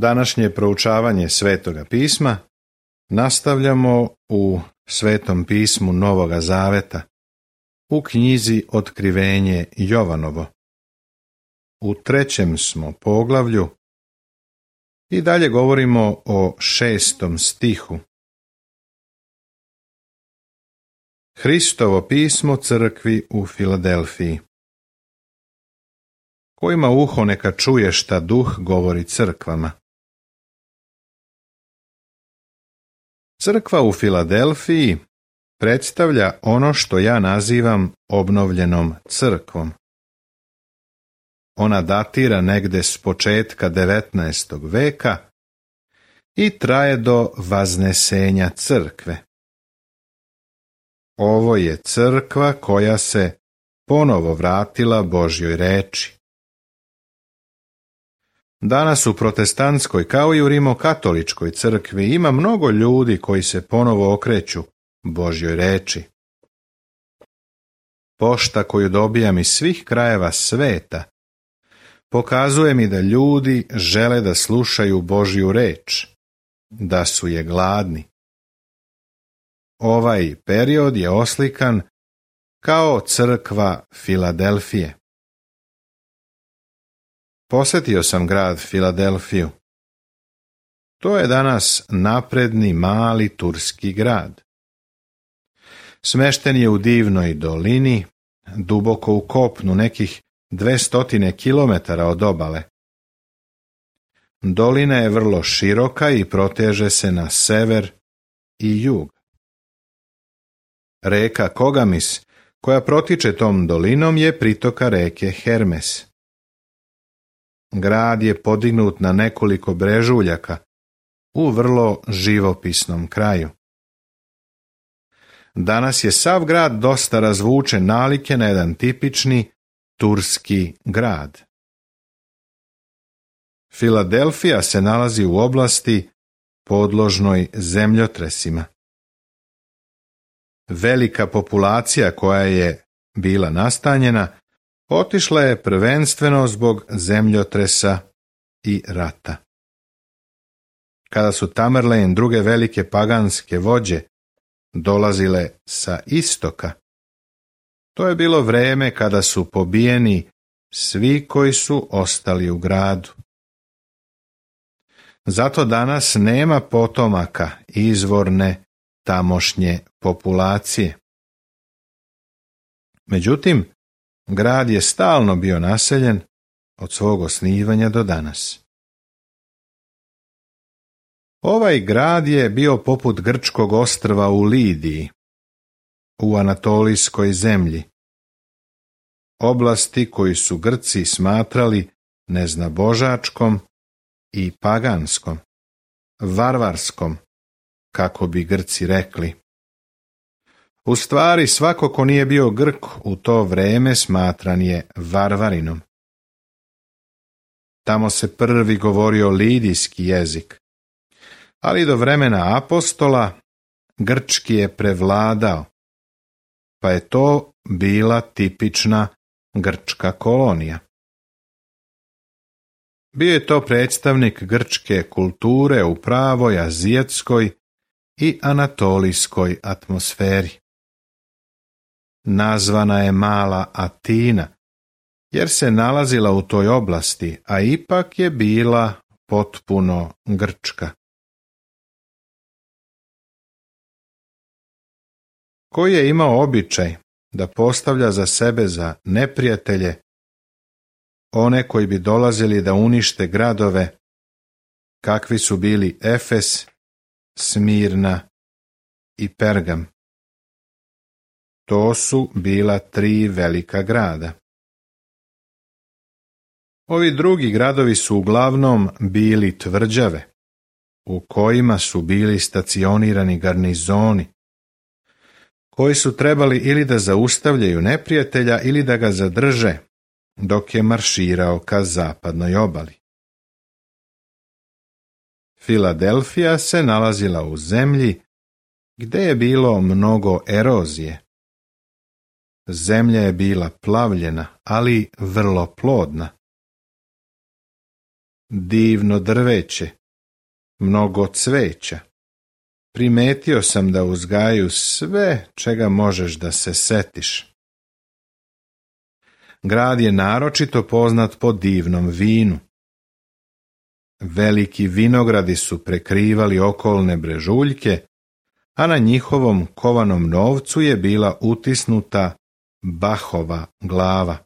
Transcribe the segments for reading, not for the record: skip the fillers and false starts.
Današnje proučavanje Svetoga pisma nastavljamo u Svetom pismu Novoga Zaveta, u knjizi Otkrivenje Jovanovo. U 3. smo poglavlju i dalje govorimo o 6. stihu. Hristovo pismo crkvi u Filadelfiji. Ko ima uho neka čuje šta Duh govori crkvama. Crkva u Filadelfiji predstavlja ono što ja nazivam obnovljenom crkvom. Ona datira negde s početka 19. veka i traje do vaznesenja crkve. Ovo je crkva koja se ponovo vratila Božjoj reči. Danas u protestantskoj kao i u rimokatoličkoj crkvi ima mnogo ljudi koji se ponovo okreću Božjoj reči. Pošta koju dobijam iz svih krajeva sveta pokazuje mi da ljudi žele da slušaju Božju reč, da su je gladni. Ovaj period je oslikan kao crkva Filadelfije. Posjetio sam grad Filadelfiju. To je danas napredni mali turski grad. Smešten je u divnoj dolini, duboko u kopnu nekih 200 kilometara od obale. Dolina je vrlo široka i proteže se na sever i jug. Reka Kogamis, koja protiče tom dolinom, je pritoka reke Hermes. Grad je podignut na nekoliko brežuljaka u vrlo živopisnom kraju. Danas je sav grad dosta razvučen nalike na jedan tipični turski grad. Filadelfija se nalazi u oblasti podložnoj zemljotresima. Velika populacija koja je bila nastanjena otišla je prvenstveno zbog zemljotresa i rata. Kada su Tamerlane i druge velike paganske vođe dolazile sa istoka, to je bilo vreme kada su pobijeni svi koji su ostali u gradu. Zato danas nema potomaka izvorne tamošnje populacije. Međutim, grad je stalno bio naseljen od svog osnivanja do danas. Ovaj grad je bio poput grčkog ostrva u Lidiji, u Anatolijskoj zemlji, oblasti koju su Grci smatrali neznabožačkom i paganskom, varvarskom, kako bi Grci rekli. U stvari, svako ko nije bio Grk u to vreme smatran je varvarinom. Tamo se prvi govorio lidijski jezik, ali do vremena apostola grčki je prevladao, pa je to bila tipična grčka kolonija. Bio je to predstavnik grčke kulture u pravoj azijatskoj i anatolijskoj atmosferi. Nazvana je Mala Atina, jer se nalazila u toj oblasti, a ipak je bila potpuno grčka. Koji je imao običaj da postavlja za sebe za neprijatelje one koji bi dolazili da unište gradove, kakvi su bili Efes, Smirna i Pergam. To su bila 3 velika grada. Ovi drugi gradovi su uglavnom bili tvrđave, u kojima su bili stacionirani garnizoni, koji su trebali ili da zaustavljaju neprijatelja ili da ga zadrže dok je marširao ka zapadnoj obali. Filadelfija se nalazila u zemlji gde je bilo mnogo erozije. Zemlja je bila plavljena, ali vrlo plodna. divno drveće, mnogo cveća. Primetio sam da uzgajaju sve čega možeš da se setiš. Grad je naročito poznat po divnom vinu. Veliki vinogradi su prekrivali okolne brežuljke, a na njihovom kovanom novcu je bila utisnuta Bahova glava.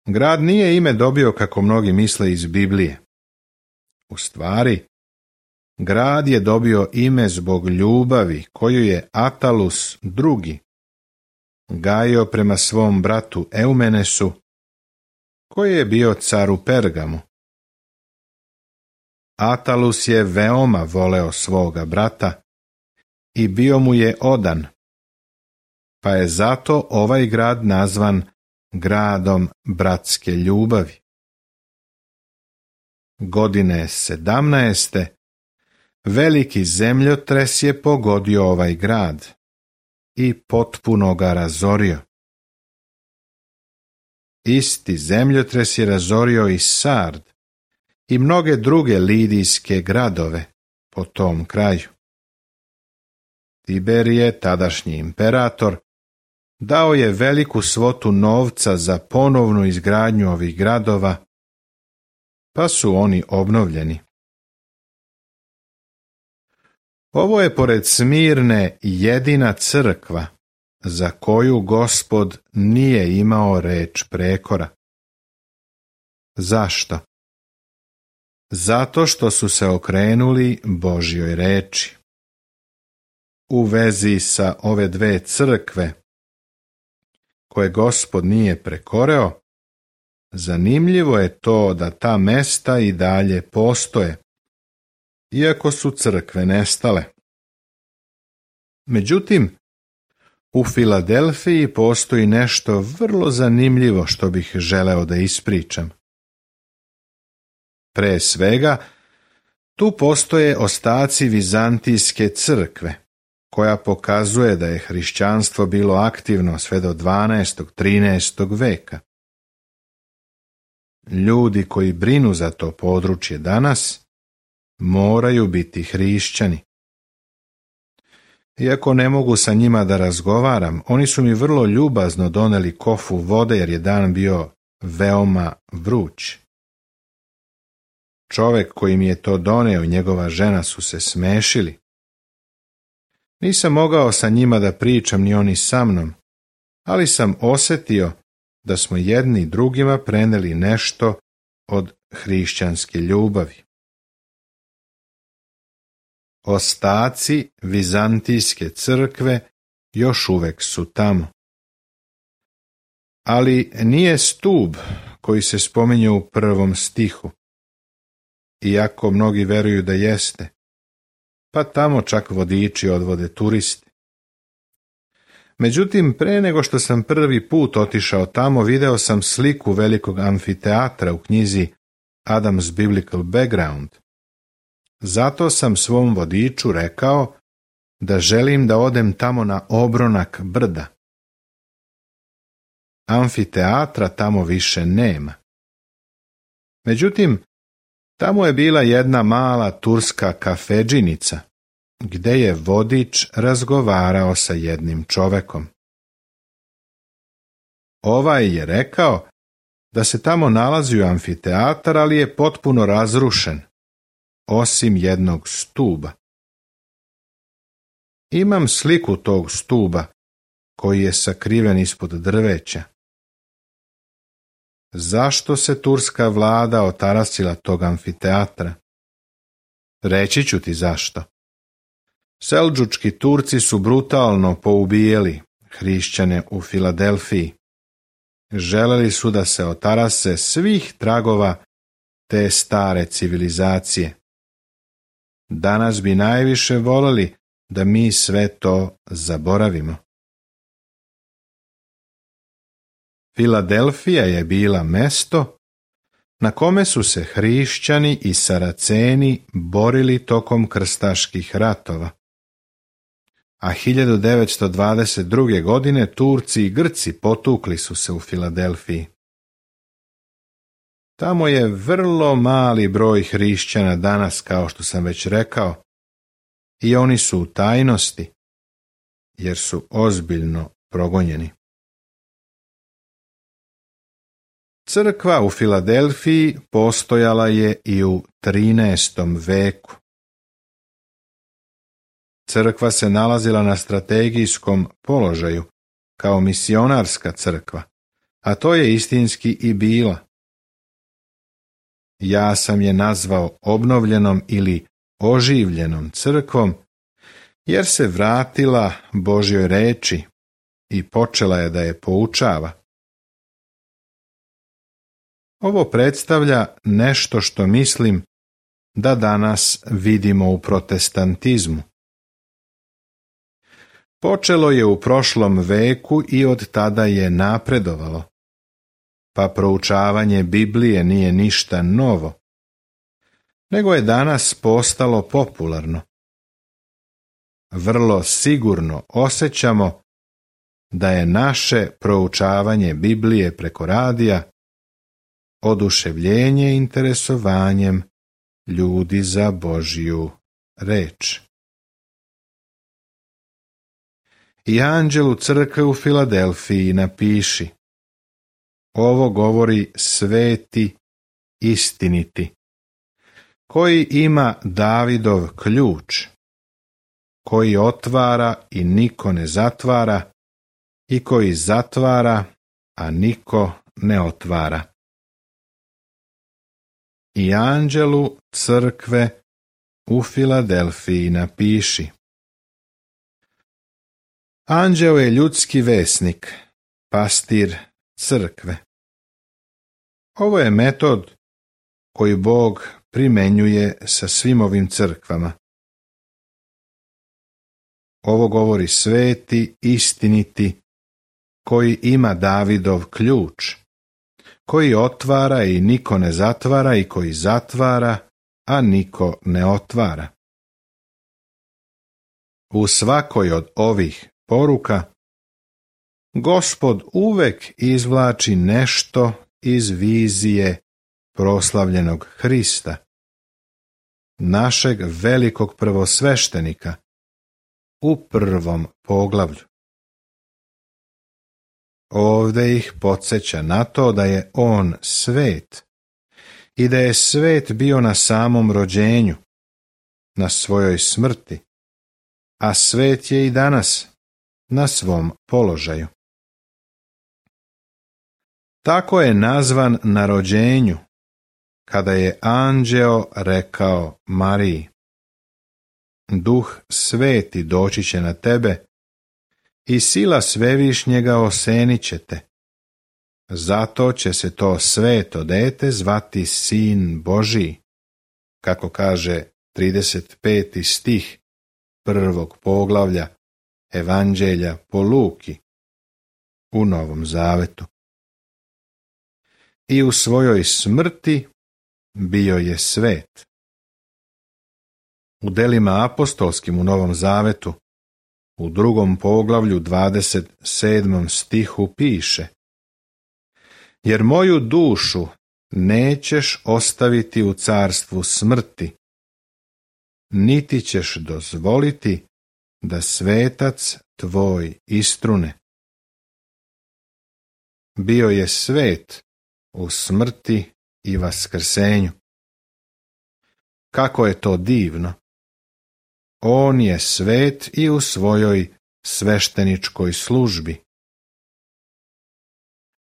Grad nije ime dobio kako mnogi misle iz Biblije. U stvari, grad je dobio ime zbog ljubavi koju je Atalus II gajio prema svom bratu Eumenesu, koji je bio car u Pergamu. Atalus je veoma voleo svoga brata i bio mu je odan, pa je zato ovaj grad nazvan gradom bratske ljubavi. Godine 17. veliki zemljotres je pogodio ovaj grad i potpuno ga razorio. Isti zemljotres je razorio i Sard i mnoge druge lidijske gradove po tom kraju. Tiberije, tadašnji imperator, dao je veliku svotu novca za ponovnu izgradnju ovih gradova, pa su oni obnovljeni. Ovo je pored Smirne jedina crkva za koju Gospod nije imao reč prekora. Zašto? Zato što su se okrenuli Božjoj reči. U vezi sa ove dve crkve, koje Gospod nije prekoreo, zanimljivo je to da ta mesta i dalje postoje, iako su crkve nestale. Međutim, u Filadelfiji postoji nešto vrlo zanimljivo što bih želeo da ispričam. Pre svega, tu postoje ostaci Vizantijske crkve, koja pokazuje da je hrišćanstvo bilo aktivno sve do 12. 13. veka. Ljudi koji brinu za to područje danas moraju biti hrišćani. Iako ne mogu sa njima da razgovaram, oni su mi vrlo ljubazno doneli kofu vode jer je dan bio veoma vruć. Čovek koji mi je to doneo i njegova žena su se smešili. Nisam mogao sa njima da pričam ni oni sa mnom, ali sam osjetio da smo jedni drugima preneli nešto od hrišćanske ljubavi. Ostaci Vizantijske crkve još uvek su tamo. Ali nije stub koji se spominje u 1. stihu, iako mnogi veruju da jeste, pa tamo čak vodiči odvode turiste. Međutim, pre nego što sam prvi put otišao tamo, video sam sliku velikog amfiteatra u knjizi Adam's Biblical Background. Zato sam svom vodiču rekao da želim da odem tamo na obronak brda. Amfiteatra tamo više nema. Međutim, tamo je bila jedna mala turska kafedžinica, gde je vodič razgovarao sa jednim čovekom. Ovaj je rekao da se tamo nalazi amfiteatar, ali je potpuno razrušen, osim jednog stuba. Imam sliku tog stuba, koji je sakriven ispod drveća. Zašto se turska vlada otarasila tog amfiteatra? Reći ću ti zašto. Seldžučki Turci su brutalno poubijeli hrišćane u Filadelfiji. Želeli su da se otarase svih tragova te stare civilizacije. Danas bi najviše voleli da mi sve to zaboravimo. Filadelfija je bila mesto na kome su se hrišćani i Saraceni borili tokom krstaških ratova. A 1922. godine Turci i Grci potukli su se u Filadelfiji. Tamo je vrlo mali broj hrišćana danas, kao što sam već rekao, i oni su u tajnosti, jer su ozbiljno progonjeni. Crkva u Filadelfiji postojala je i u 13. veku. Crkva se nalazila na strategijskom položaju kao misionarska crkva, a to je istinski i bila. Ja sam je nazvao obnovljenom ili oživljenom crkvom, jer se vratila Božjoj reči i počela je da je poučava. Ovo predstavlja nešto što mislim da danas vidimo u protestantizmu. Počelo je u prošlom veku i od tada je napredovalo, pa proučavanje Biblije nije ništa novo, nego je danas postalo popularno. Vrlo sigurno osjećamo da je naše proučavanje Biblije preko radija oduševljenje interesovanjem ljudi za Božju reč. I anđelu crkve u Filadelfiji napiši: ovo govori sveti istiniti, koji ima Davidov ključ, koji otvara i niko ne zatvara, i koji zatvara, a niko ne otvara. I anđelu crkve u Filadelfiji napiši: anđeo je ljudski vesnik, pastir crkve. Ovo je metod koji Bog primenjuje sa svim ovim crkvama. Ovo govori sveti, istiniti, koji ima Davidov ključ, koji otvara i niko ne zatvara, i koji zatvara, a niko ne otvara. U svakoj od ovih poruka Gospod uvek izvlači nešto iz vizije proslavljenog Hrista, našeg velikog prvosveštenika, u prvom poglavlju. Ovdje ih podsjeća na to da je on svet i da je svet bio na samom rođenju, na svojoj smrti, a svet je i danas na svom položaju. Tako je nazvan na rođenju, kada je anđeo rekao Mariji: Duh sveti doći će na tebe i sila svevišnjega osenit će te. Zato će se to sveto dete zvati Sin Božiji, kako kaže 35. stih prvog poglavlja Evanđelja po Luki u Novom Zavetu. I u svojoj smrti bio je svet. U delima apostolskim u Novom Zavetu u drugom poglavlju 27. stihu piše: jer moju dušu nećeš ostaviti u carstvu smrti, niti ćeš dozvoliti da svetac tvoj istrune. Bio je svet u smrti i vaskrsenju. Kako je to divno! On je svet i u svojoj svešteničkoj službi.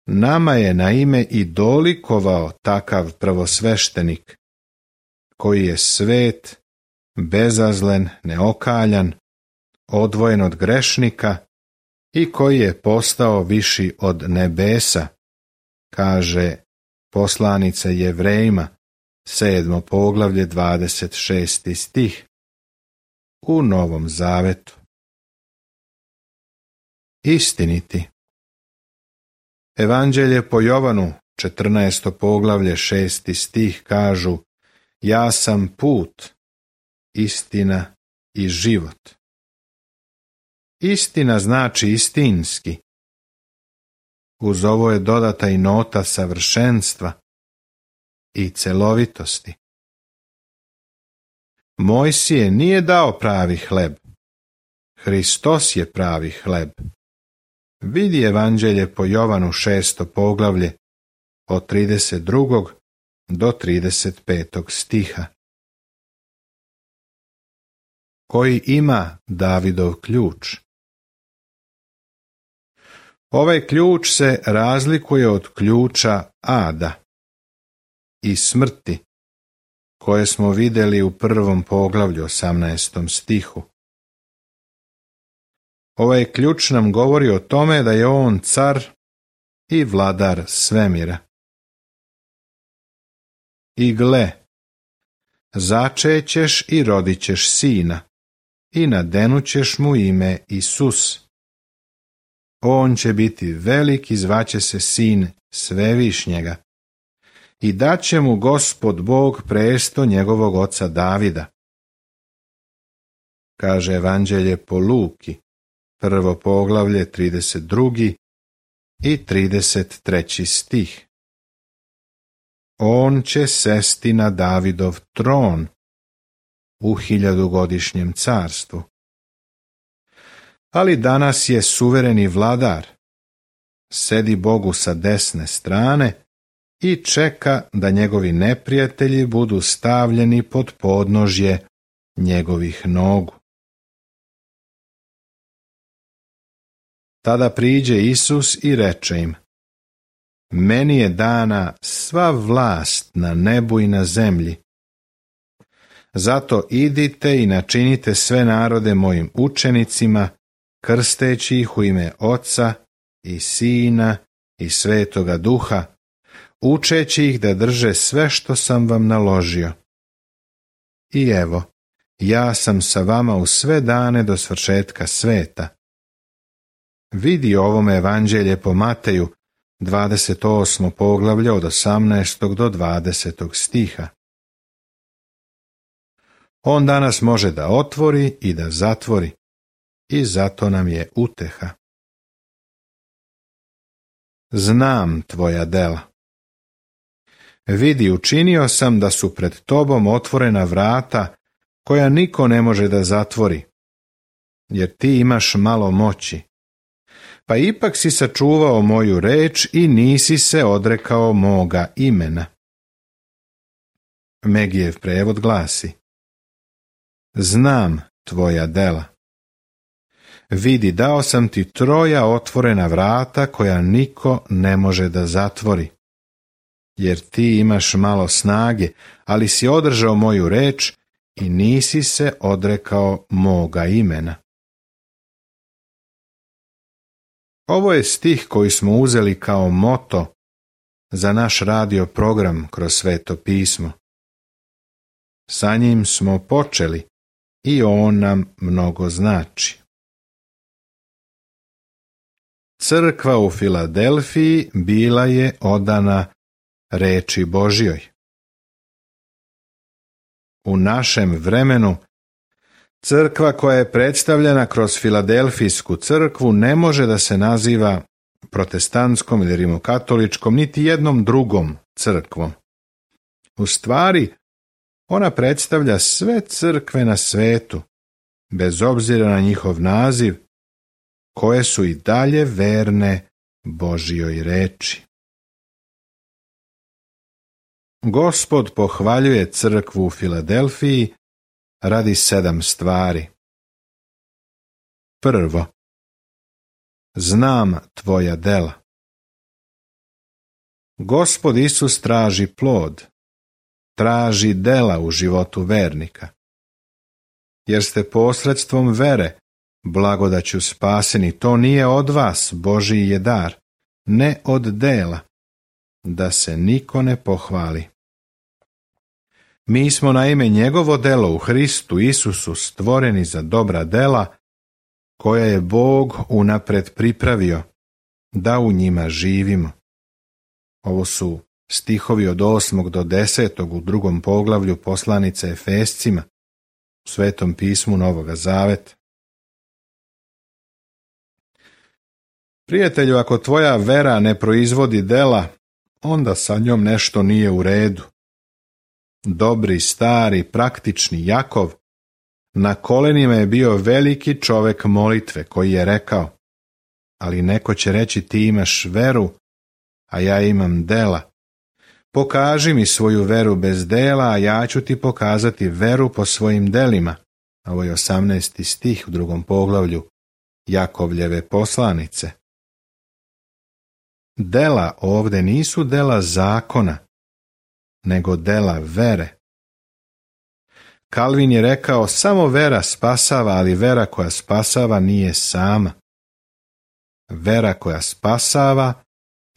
Nama je na ime i dolikovao takav prvosveštenik, koji je svet, bezazlen, neokaljan, odvojen od grešnika i koji je postao viši od nebesa, kaže poslanica Jevrejima, 7. poglavlje 26. stih u Novom Zavetu. Istiniti. Evanđelje po Jovanu, 14. poglavlje 6. stih kažu: ja sam put, istina i život. Istina znači istinski. Uz ovo je dodata i nota savršenstva, i celovitosti. Mojsije nije dao pravi hleb. Hristos je pravi hleb. Vidi Evanđelje po Jovanu 6. poglavlje od 32. do 35. stiha. Koji ima Davidov ključ? Ovaj ključ se razlikuje od ključa ada i smrti, koje smo vidjeli u 1. poglavlju 18. stihu. Ovaj ključ nam govori o tome da je on car i vladar svemira. I gle, začećeš i rodit ćeš sina, i nadenućeš mu ime Isus. On će biti velik i zvaće se sin Svevišnjega. I daće mu Gospod Bog presto njegovog oca Davida. Kaže Evanđelje po Luki, 1. poglavlje 32. i 33. stih. On će sesti na Davidov tron u 1000-godišnjem carstvu. Ali danas je suvereni vladar, sedi Bogu sa desne strane i čeka da njegovi neprijatelji budu stavljeni pod podnožje njegovih nogu. Tada priđe Isus i reče im: Meni je dana sva vlast na nebu i na zemlji. Zato idite i načinite sve narode mojim učenicima, krsteći ih u ime Oca i Sina i Svetoga Duha, učeći ih da drže sve što sam vam naložio. I evo, ja sam sa vama u sve dane do svršetka sveta. Vidi ovome Evanđelje po Mateju, 28. poglavlje od 18. do 20. stiha. On danas može da otvori i da zatvori, i zato nam je uteha. Znam tvoja dela. Vidi, učinio sam da su pred tobom otvorena vrata koja niko ne može da zatvori, jer ti imaš malo moći. Pa ipak si sačuvao moju reč i nisi se odrekao moga imena. Megijev prevod glasi: Znam tvoja dela. Vidi, dao sam ti 3 otvorena vrata koja niko ne može da zatvori. Jer ti imaš malo snage, ali si održao moju reč i nisi se odrekao moga imena. Ovo je stih koji smo uzeli kao moto za naš radio program kroz Sveto pismo. Sa njim smo počeli i on nam mnogo znači. Crkva u Filadelfiji bila je odana reči Božjoj. U našem vremenu crkva koja je predstavljena kroz Filadelfijsku crkvu ne može da se naziva protestantskom ili rimokatoličkom niti jednom drugom crkvom. U stvari, ona predstavlja sve crkve na svetu, bez obzira na njihov naziv, koje su i dalje verne Božjoj reči. Gospod pohvaljuje crkvu u Filadelfiji radi 7 stvari. Prvo, znam tvoja dela. Gospod Isus traži plod, traži dela u životu vernika. Jer ste posredstvom vere blagodaću spaseni, to nije od vas, Božji je dar, ne od dela, da se niko ne pohvali. Mi smo naime njegovo delo u Hristu Isusu stvoreni za dobra dela, koja je Bog unapred pripravio, da u njima živimo. Ovo su stihovi od 8. do 10. u 2. poglavlju poslanice Efescima, u Svetom pismu Novoga Zaveta. Prijatelju, ako tvoja vera ne proizvodi dela, onda sa njom nešto nije u redu. Dobri, stari, praktični Jakov na kolenima je bio veliki čovek molitve koji je rekao: ali neko će reći ti imaš veru, a ja imam dela. Pokaži mi svoju veru bez dela, a ja ću ti pokazati veru po svojim delima. Ovo je 18. stih u 2. poglavlju Jakovljeve poslanice. Dela ovde nisu dela zakona, nego dela vere. Kalvin je rekao: samo vera spasava, ali vera koja spasava nije sama. Vera koja spasava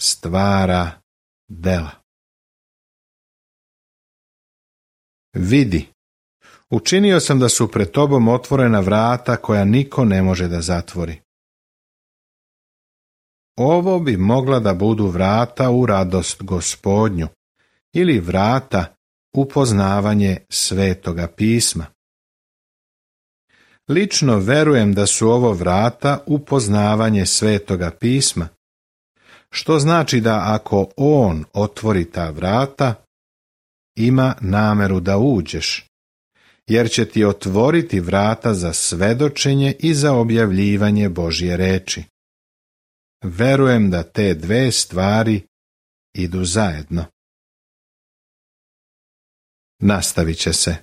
stvara dela. Vidi, učinio sam da su pred tobom otvorena vrata koja niko ne može da zatvori. Ovo bi mogla da budu vrata u radost Gospodnju ili vrata u poznavanje Svetoga pisma. Lično verujem da su ovo vrata u poznavanje Svetoga pisma, što znači da ako On otvori ta vrata, ima nameru da uđeš, jer će ti otvoriti vrata za svedočenje i za objavljivanje Božje reči. Verujem da te dve stvari idu zajedno. Nastavit će se.